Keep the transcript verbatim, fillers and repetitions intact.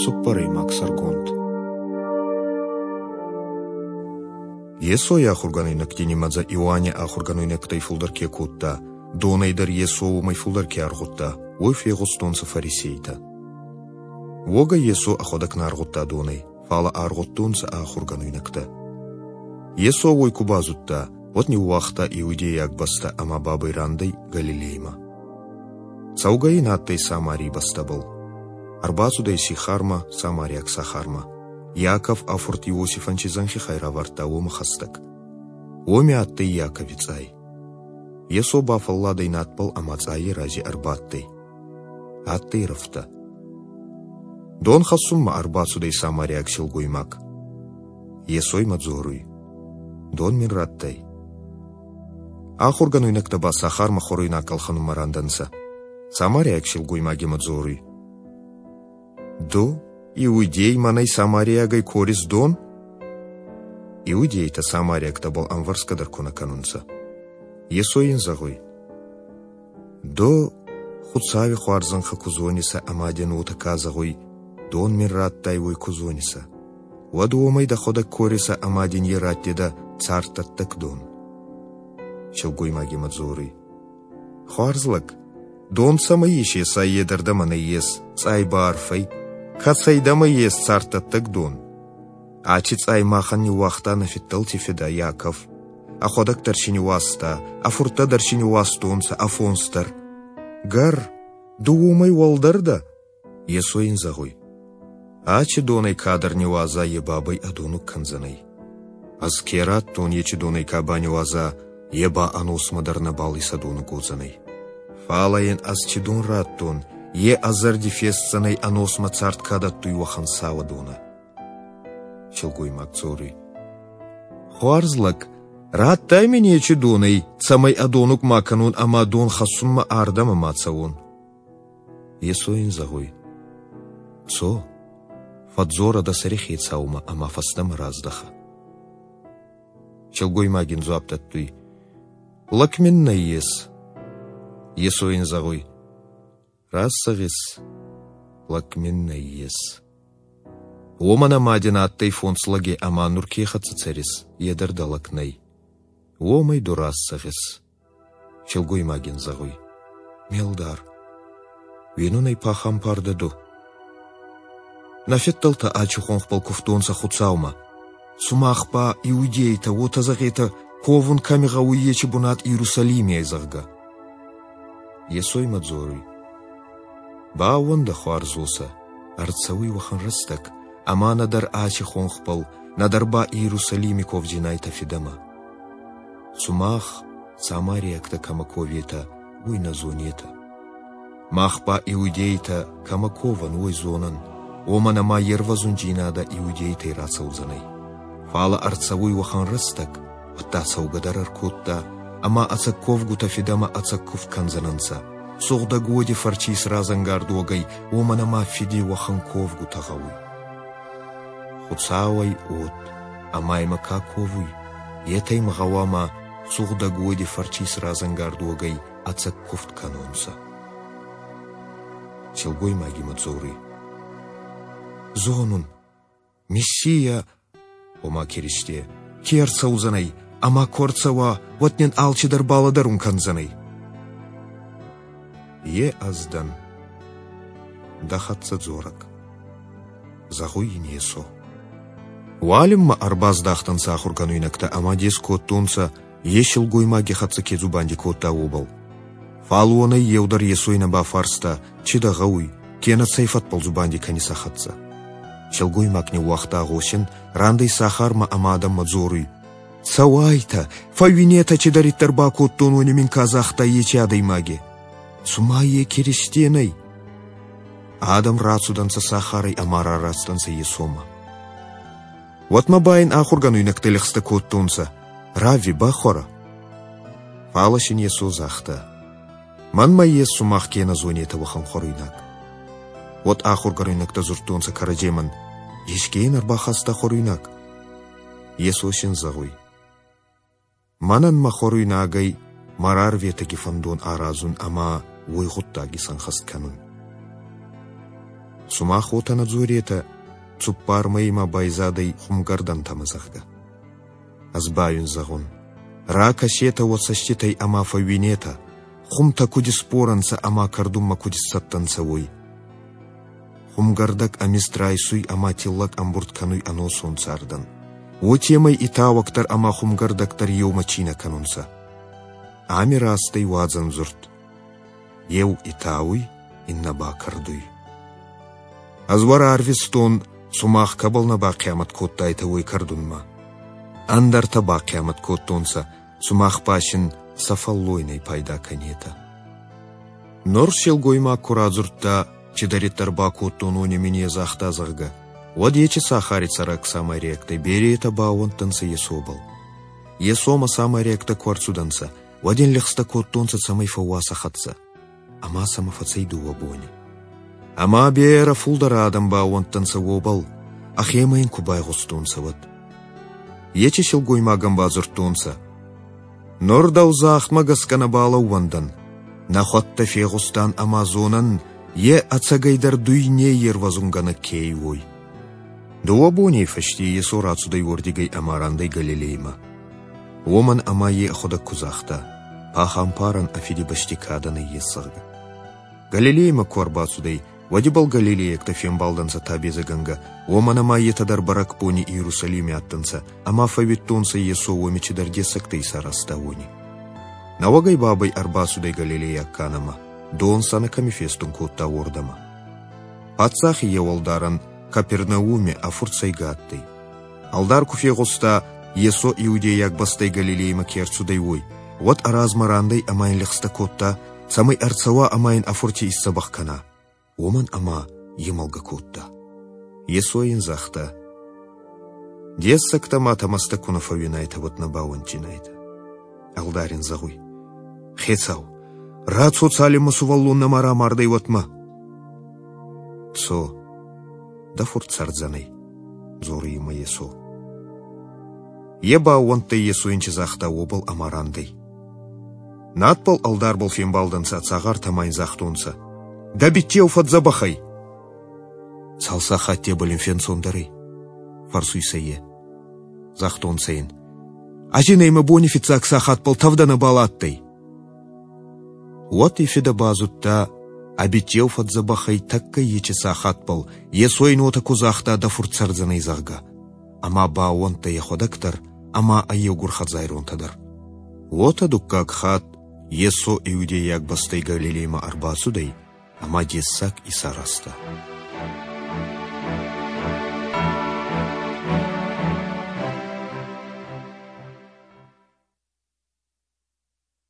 Цуппӕрӕймаг сӕргонд. Йесой ахургӕнуйнӕгти нимӕдзӕ Иоанни ахургӕнуйнӕгтӕй фулдӕр ке кодта, донӕй дӕр Йесо уомӕй фулдӕр ке аргъудта, уой фегъустонцӕ фарисейтӕ. Уогӕ Йесо ӕхуӕдӕг нӕ аргъудта донӕй, фал аргъудтонцӕ ӕ ахургӕнуйнӕгтӕ. Йесо уой ку базудта, уӕд ниууагъта иудейаг бӕстӕ ӕма бабӕй рандӕй Галилеймӕ. Цӕугӕ ин адтӕй Самарий бӕстӕбӕл. Ӕрбацудӕй Сихармӕ, самариаг сахармӕ. Иаков ӕ фурт Иосифӕн ци зӕнхи хай равардта, уомӕ хӕстӕг. Уоми адтӕй Иакови цъай. Йесо бафӕлладӕй надбӕл ӕма цъайи рази ӕрбадтӕй. Адтӕй рӕфтӕ. Дон хӕссунмӕ ӕрбацудӕй самариаг силгоймаг. Йесо имӕ дзоруй: «Дон мин радтай». Ахургӕнуйнӕгтӕ ба сахармӕ хуӕруйнаг ӕлхӕнунмӕ рандӕнцӕ. Самариаг силгоймаг имӕ дзоруй: «Ду, иудей, мӕнӕй самариагӕй корис дон?» Иудейтӕ самариӕгтӕбӕл ӕмвӕрсгӕ дӕр ку нӕ кӕнунцӕ. Йесо ин зӕгъуй: «Ду Хуцауи хуарзӕнхӕ ку зонисӕ ӕма дин уотӕ ка зӕгъуй, дон мин радтай, уой ку зонисӕ, уӕд уомӕй дӕхуӕдӕг корисӕ ӕма дин е раттидӕ царддӕттӕг дон». Силгоймаг имӕ дзоруй: «Хуарз лӕг, дон цӕмӕй исесай, е дӕр дӕмӕ нӕййес, цъай ба арф ӕй. Кӕцӕй дӕмӕ ес царддӕттӕг дон? Аци цъай махӕн ниууагъта нӕ фиддӕлти фидӕ Иаков. Ӕхуӕдӕг дӕр си ниуазта, ӕ фурттӕ дӕр си ниуазтонцӕ, ӕ фонс дӕр. Гӕр, ду уомӕй уӕлдӕр дӕ?» Йесо ин зӕгъуй: «Аци донӕй кадӕр ниуаза, е бабӕй ӕдонуг кӕндзӕнӕй. Ӕз ке радтон, еци донӕй ка баниуаза, е ба ӕносмӕ дӕр нӕбал исӕдонуг уодзӕнӕй. Фал ин ӕз ци дон радтон, е ӕ зӕрди фестдзӕнӕй ӕносмӕ цард ка дӕттуй, уӕхӕн сауӕдонӕ». Силгоймаг дзоруй: «Хуарз лӕг, радтай мин еци донӕй, цӕмӕй ӕдонуг ма кӕнон ӕма дон хӕссунмӕ ардӕмӕ ма цӕуон». Йесо ин зӕгъуй: «Цо, фӕдздзорӕ дӕ сӕри хецаумӕ ӕма фӕстӕмӕ раздӕхӕ». Силгоймаг ин дзуапп дӕттуй: «Лӕг мин нӕййес». Йесо ин зӕгъуй: «Раст зӕгъис, лӕг мин нӕййес. Уомӕн ӕма дин адтӕй фондз лӕги ӕма нур ке хӕццӕ цӕрис, е дӕр дӕ лӕг нӕй. Уомӕй ду раст зӕгъис». Силгоймаг ин зӕгъуй: «Ме лдар, уинун ӕй пахампар дӕ ду. Нӕ фиддӕлтӕ аци хонхбӕл кувтонцӕ Хуцаумӕ. Сумах ба, иудейтӕ, уотӕ зӕгъетӕ, ковун кӕми гъӕуй, еци бунат Иерусалими ӕй, зӕгъгӕ». Йесо имӕ дзоруй: «Баууӕндӕ, хуарз уосӕ, ӕрцӕуй уӕхӕн рӕстӕг, ӕма нӕдӕр аци хонхбӕл, нӕдӕр ба Иерусалими ковдзинайтӕ Фидӕмӕ. Сумах, самариӕгтӕ, кӕмӕ коветӕ, уой нӕ зонетӕ. Мах ба, иудейтӕ, кӕмӕ ковӕн, уой зонӕн, уомӕн ӕма ервӕзундзийнадӕ иудейтӕй рацӕудзӕнӕй. Фал ӕрцӕуй уӕхӕн рӕстӕг, уӕдта цӕугӕ дӕр ӕркодта, ӕма ӕцӕг ковгутӕ Фидӕмӕ ӕцӕг кувд кӕндзӕнӕнцӕ, сугъдӕг уоди фӕрци исразӕнгард уогӕй, уомӕн ӕма Фиди уӕхӕн ковгутӕ гъӕуй. Хуцау ӕй уод, ӕма имӕ ка ковуй, етӕ имӕ гъӕуама сугъдӕг уоди фӕрци исразӕнгард уогӕй ӕцӕг кувд кӕнонцӕ». Силгоймаг имӕ дзоруй: «Зонун, Мессия, ома Киристе, ке ӕрцӕудзӕнӕй, ӕма ку ӕрцӕуа, уӕд нин алчидӕр балӕдӕрун кӕндзӕнӕй». «Е ӕз дӕн, дӕ хӕццӕ дзорӕг», зӕгъуй ин Йесо. Уалинмӕ ӕрбаздахтӕнцӕ ахургӕнуйнӕгтӕ ӕма дес кодтонцӕ, е силгоймаги хӕццӕ ке дзубанди кодта, уобӕл. Фал уонӕй еу дӕр Йесой нӕ бафарста, чи дӕ гъӕуй, кенӕ цӕй фӕдбӕл дзубанди кӕнис ӕ хӕццӕ. Силгоймаг ниууагъта гъосин, рандӕй сахармӕ ӕма адӕммӕ дзоруй: «Цӕуайтӕ, фӕууинетӕ, цидӕриддӕр бакодтон, уони мин ка загъта, еци адӕймаги. Цума е Киристе нӕй?» Адӕм рацудӕнцӕ сахарӕй ӕма рарастӕнцӕ Йесомӕ. Уӕдмӕ ба ин ахургӕнуйнӕгтӕ лӕгъстӕ кодтонцӕ: «Равви, бахуӕрӕ». Фал син Йесо загъта: «Мӕнмӕ ес, сумах ке нӕ зонетӕ, уӕхӕн хуӕруйнаг». Уӕд ахургӕнуйнӕгтӕ дзурдтонцӕ кӕрӕдземӕн: «Еске ин ӕрбахаста хуӕруйнаг?» Йесо син зӕгъуй: «Мӕнӕн мӕ хуӕруйнагӕй мӕ рарветӕги фӕндон аразун ӕма уой гъуддаг исӕнхӕст кӕнун. Сумах уотӕ нӕ дзоретӕ, цуппар мӕйи ма байзадӕй хумгӕрдӕнтӕмӕ, зӕгъгӕ. Ӕз ба уин зӕгъун, ракӕсетӕ уӕ цӕститӕй ӕма фӕууинетӕ, хумтӕ куд исбор ӕнцӕ ӕма кӕрдунмӕ куд исцӕттӕ нцӕ, уой. Хумгӕрдӕг ӕ мизд райсуй ӕма тиллӕг ӕмбурд кӕнуй ӕносон цардӕн. Уотемӕй итауӕг дӕр ӕма хумгӕрдӕг дӕр еумӕ цийнӕ кӕнунцӕ. Ами раст ӕй уадзӕн дзурд: еу итауй, иннӕ ба кӕрдуй. Ӕз уӕ рарвистон, сумах кӕбӕл нӕ бахъиамӕт кодтайтӕ, уой кӕрдунмӕ. Ӕндӕртӕ бахъиамӕт кодтонцӕ, сумах ба син сӕ фӕллойнӕй пайда кӕнетӕ. Нур силгоймаг ку радзурдта, цидӕриддӕр бакодтон, уони мин е загъта, зӕгъгӕ, уӕд ечи сахари цӕрӕг самариӕгтӕй беретӕ баууӕндтӕнцӕ Йесобӕл. Йесомӕ самариӕгтӕ ку ӕрцудӕнцӕ, уӕд ин лӕгъстӕ кодтонцӕ, цӕмӕй фӕууа сӕ хӕццӕ. Ӕма сӕмӕ фӕцӕй дууӕ бони. Ӕма берӕ фулдӕр адӕм баууӕндтӕнцӕ уобӕл, ӕхемӕ ин ку байгъустонцӕ, уӕд. Ечи силгоймагӕн бадзурдтонцӕ: Нур дӕу загъдмӕ гӕсгӕ нӕбал ӕууӕндӕн, нӕхуӕдтӕ фегъустан ӕма зонӕн, е ӕцӕгӕйдӕр дуйней ервӕзунгӕнӕг ке ӕй, уой. Дууӕ боней фӕсте Йесо рацудӕй уордигӕй ӕма рандӕй Галилеймӕ. Уомӕн ӕма е ӕхуӕдӕг ку загъта, пахампарӕн ӕ фидибӕсти кадӕ нӕййес, зӕгъгӕ. Галилеймӕ ку ӕрбацудӕй, уӕд ибӕл галилейӕгтӕ фембалдӕнцӕ табедзӕгӕнгӕ, уомӕн ӕма етӕ дӕр бӕрӕгбони Иерусалими адтӕнцӕ ӕма фӕууидтонцӕ, Йесо уоми цидӕр дессӕгтӕ исаразта, уони. Нӕуӕгӕй бабӕй ӕрбацудӕй Галилейаг Канӕмӕ, дон сӕнӕ кӕми фестун кодта, уордӕмӕ. Паддзахи еу ӕлдарӕн Капернауми ӕ фурт сӕйгӕ адтӕй. Ӕлдар ку фегъуста, Йесо иудейаг бӕстӕй Галилеймӕ ке ӕрцудӕй, уой, уӕд ӕ размӕ рандӕй ӕма ин лӕгъстӕ кодта, цӕмӕй ӕрцӕуа ӕма ин ӕ фурти исдзӕбӕх кӕна, уомӕн ӕма е мӕлгӕ кодта. Йесо ин загъта: Дессӕгтӕ ма тӕмӕстӕ ку нӕ фӕууинайтӕ, уӕд нӕ баууӕнддзинайтӕ. Ӕлдар ин зӕгъуй: Хецау, рацо, цалинмӕ сувӕллон нӕма рамардӕй, уӕдмӕ. Цо, дӕ фурт цӕрдзӕнӕй, дзоруй имӕ Йесо. Е баууӕндтӕй, Йесо ин ци загъта, уобӕл ӕма рандӕй. Надбӕл ӕлдарбӕл фембалдӕнцӕ ӕ цагъартӕ ӕма ин загътонцӕ: Дӕ биччеу фӕдздзӕбӕх ӕй. Цал сахаттебӕл ин фенцондӕр ӕй? Фӕрсуй сӕ е. Загътонцӕ ин: Ӕзинӕ имӕ бони фиццаг сахатбӕл тӕвдӕ нӕбал адтӕй. Уӕд и фидӕ базудта, ӕ биччеу фӕдздзӕбӕх ӕй тӕккӕ ечи сахатбӕл, Йесо ин уотӕ ку загъта, дӕ фурт цӕрдзӕнӕй, зӕгъгӕ. Ӕма баууӕндтӕй ӕхуӕдӕг дӕр ӕма ӕ еугур хӕдзайронтӕ дӕр. Уотӕ дуккаг хатт Йесо иудейаг бӕстӕй Галилеймӕ ӕрбацудӕй ӕма дессаг исаразта.